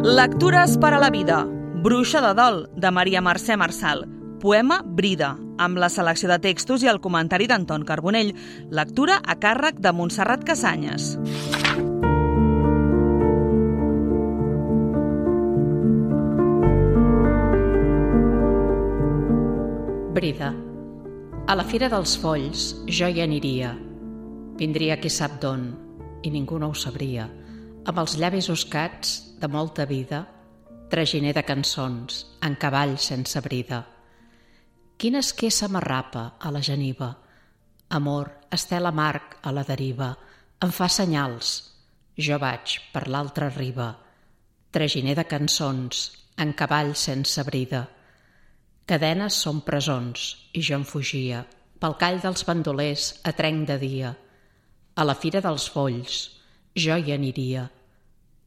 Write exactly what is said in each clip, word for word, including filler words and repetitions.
Lectures per a la vida. Bruixa de dol, de Maria Mercè Marçal. Poema Brida, amb la selecció de textos i el comentari d'Anton Carbonell. Lectura a càrrec de Montserrat Casanyes. Brida. A la Fira dels Folls jo hi aniria. Vindria qui sap d'on, i ningú no ho sabria, amb els llavis oscats de molta vida, traginer de cançons, en cavall sense brida. Quina esquessa m'arrapa a la geniva, amor, estel amarg a la deriva, em fa senyals, jo vaig per l'altra riba, traginer de cançons, en cavall sense brida. Cadenes són presons, i jo en fugia, pel call dels bandolers a trenc de dia. A la Fira dels Folls jo hi aniria,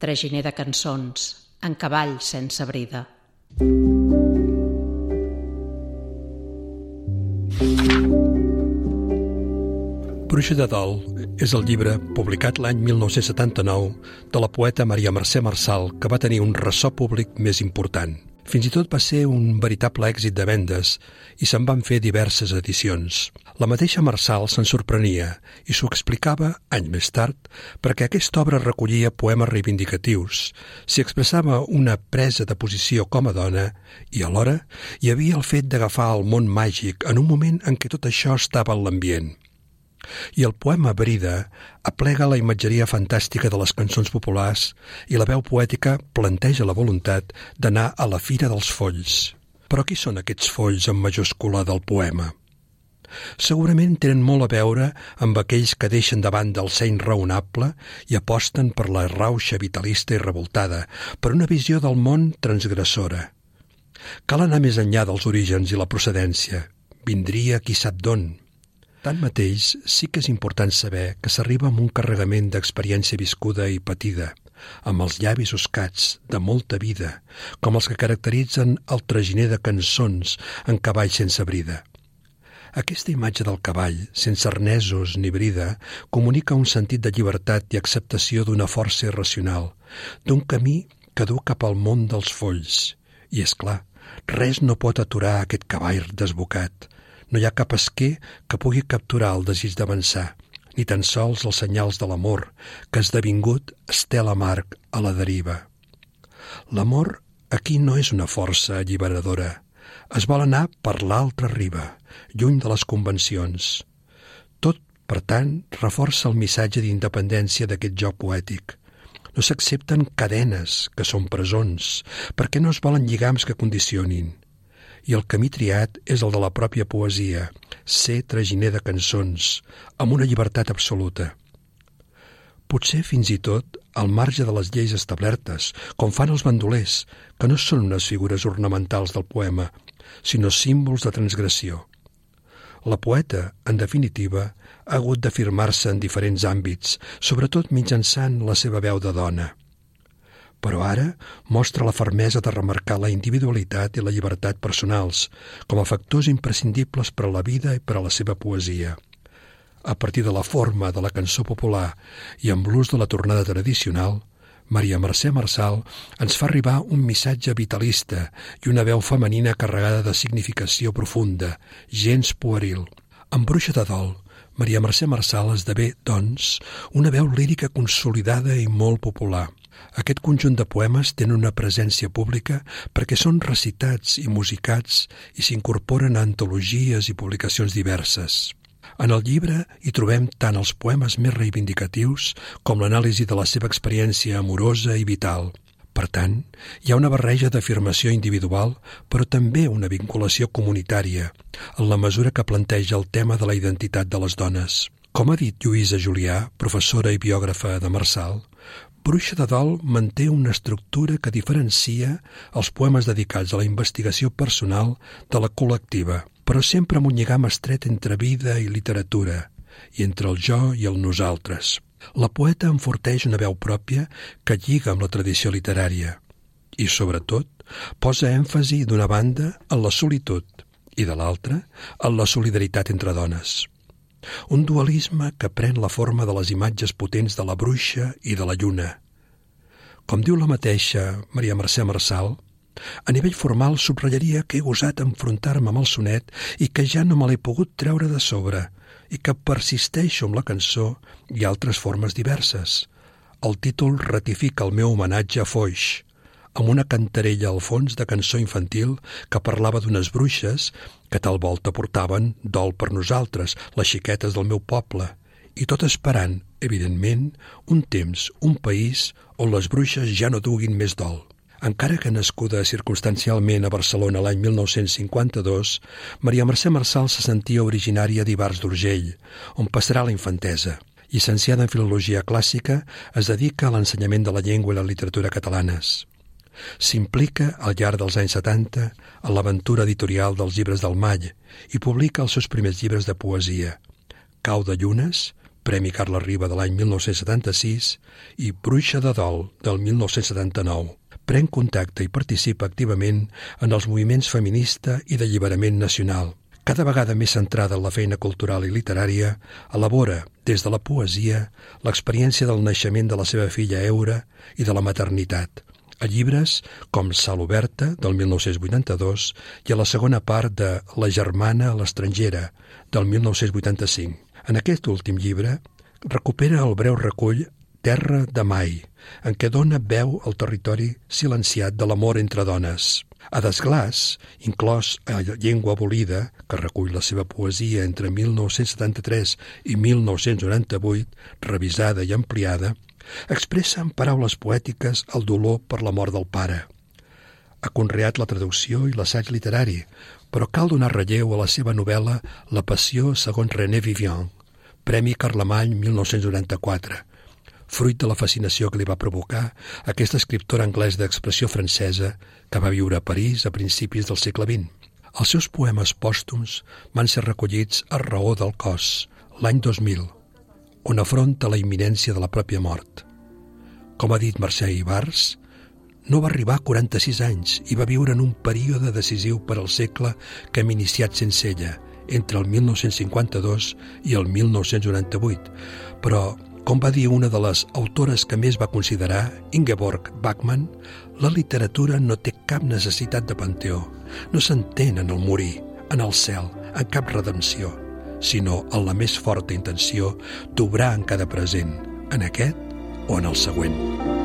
traginer de cançons, en cavall sense brida. Bruixa de dol és el llibre publicat l'any mil nou-cents setanta-nou de la poeta Maria Mercè Marçal, que va tenir un ressò públic més important. Fins i tot va ser un veritable èxit de vendes i se'n van fer diverses edicions. La mateixa Marçal se'n sorprenia i s'ho explicava anys més tard perquè aquesta obra recollia poemes reivindicatius, s'hi expressava una presa de posició com a dona i alhora hi havia el fet d'agafar el món màgic en un moment en què tot això estava en l'ambient. I el poema Brida aplega la imatgeria fantàstica de les cançons populars i la veu poètica planteja la voluntat d'anar a la Fira dels Folls. Però qui són aquests folls en majúscula del poema? Segurament tenen molt a veure amb aquells que deixen de banda el seny raonable i aposten per la rauxa vitalista i revoltada, per una visió del món transgressora. Cal anar més enllà dels orígens i la procedència. Vindria qui sap d'on. Tanmateix, sí que és important saber que s'arriba amb un carregament d'experiència viscuda i patida, amb els llavis oscats de molta vida, com els que caracteritzen el traginer de cançons en cavall sense brida. Aquesta imatge del cavall, sense arnesos ni brida, comunica un sentit de llibertat i acceptació d'una força irracional, d'un camí que du cap al món dels folls. I, és clar, res no pot aturar aquest cavall desbocat. No hi ha cap esquer que pugui capturar el desig d'avançar, ni tan sols els senyals de l'amor, que ha esdevingut estel amarg a la deriva. L'amor aquí no és una força alliberadora. Es vol anar per l'altra riba, lluny de les convencions. Tot, per tant, reforça el missatge d'independència d'aquest joc poètic. No s'accepten cadenes, que són presons, perquè no es volen lligams que condicionin. I el camí triat és el de la pròpia poesia, ser traginer de cançons, amb una llibertat absoluta. Potser fins i tot al marge de les lleis establertes, com fan els bandolers, que no són unes figures ornamentals del poema, sinó símbols de transgressió. La poeta, en definitiva, ha hagut d'afirmar-se en diferents àmbits, sobretot mitjançant la seva veu de dona. Però ara mostra la fermesa de remarcar la individualitat i la llibertat personals com a factors imprescindibles per a la vida i per a la seva poesia. A partir de la forma de la cançó popular i amb l'ús de la tornada tradicional, Maria Mercè Marçal ens fa arribar un missatge vitalista i una veu femenina carregada de significació profunda, gens pueril. En Bruixa de dol, Maria Mercè Marçal esdevé, doncs, una veu lírica consolidada i molt popular. Aquest conjunt de poemes tenen una presència pública perquè són recitats i musicats i s'incorporen a antologies i publicacions diverses. En el llibre hi trobem tant els poemes més reivindicatius com l'anàlisi de la seva experiència amorosa i vital. Per tant, hi ha una barreja d'afirmació individual, però també una vinculació comunitària, en la mesura que planteja el tema de la identitat de les dones. Com ha dit Lluïsa Julià, professora i biògrafa de Marçal, Bruixa de dol manté una estructura que diferencia els poemes dedicats a la investigació personal de la col·lectiva, però sempre amb un lligam estret entre vida i literatura, i entre el jo i el nosaltres. La poeta enforteix una veu pròpia que lliga amb la tradició literària i, sobretot, posa èmfasi d'una banda en la solitud i, de l'altra, en la solidaritat entre dones. Un dualisme que pren la forma de les imatges potents de la bruixa i de la lluna. Com diu la mateixa Maria Mercè Marçal, a nivell formal subratllaria que he gosat enfrontar-me amb el sonet i que ja no me l'he pogut treure de sobre i que persisteixo amb la cançó i altres formes diverses. El títol ratifica el meu homenatge a Foix, amb una cantarella al fons de cançó infantil que parlava d'unes bruixes que tal volta portaven dol per nosaltres, les xiquetes del meu poble, i tot esperant, evidentment, un temps, un país on les bruixes ja no duguin més dol. Encara que nascuda circumstancialment a Barcelona l'any mil nou-cents cinquanta-dos, Maria Mercè Marçal se sentia originària d'Ivars d'Urgell, on passarà la infantesa. Llicenciada en Filologia Clàssica, es dedica a l'ensenyament de la llengua i la literatura catalanes. S'implica al llarg dels anys setanta en l'aventura editorial dels llibres del Mall i publica els seus primers llibres de poesia, Cau de llunes, Premi Carles Riba de l'any mil nou-cents setanta-sis, i Bruixa de dol del mil nou-cents setanta-nou. Pren contacte i participa activament en els moviments feminista i d'alliberament nacional. Cada vegada més centrada en la feina cultural i literària, elabora, des de la poesia, l'experiència del naixement de la seva filla Eura i de la maternitat, a llibres com Sal oberta, del mil nou-cents vuitanta-dos, i a la segona part de La germana a l'estrangera, del mil nou-cents vuitanta-cinc. En aquest últim llibre recupera el breu recull Terra de mai, en què dona veu al territori silenciat de l'amor entre dones. A Desglàs, inclòs a Llengua abolida, que recull la seva poesia entre mil nou-cents setanta-tres i mil nou-cents noranta-vuit, revisada i ampliada, expressa en paraules poètiques el dolor per la mort del pare. Ha conreat la traducció i l'assaig literari, però cal donar relleu a la seva novel·la La passió segons René Vivian, Premi Carlemany mil nou-cents noranta-quatre, fruit de la fascinació que li va provocar aquest escriptor anglès d'expressió francesa que va viure a París a principis del segle vint. Els seus poemes pòstums van ser recollits a Raó del cos, l'any dos mil, on afronta la imminència de la pròpia mort. Com ha dit Mercè Ivars, no va arribar a quaranta-sis anys i va viure en un període decisiu per al segle que hem iniciat sense ella, entre el mil nou-cents cinquanta-dos i el mil nou-cents noranta-vuit, però com va dir una de les autores que més va considerar, Ingeborg Bachmann, la literatura no té cap necessitat de panteó. No s'entén en el morir, en el cel, en cap redempció, sinó en la més forta intenció d'obrar en cada present, en aquest o en el següent.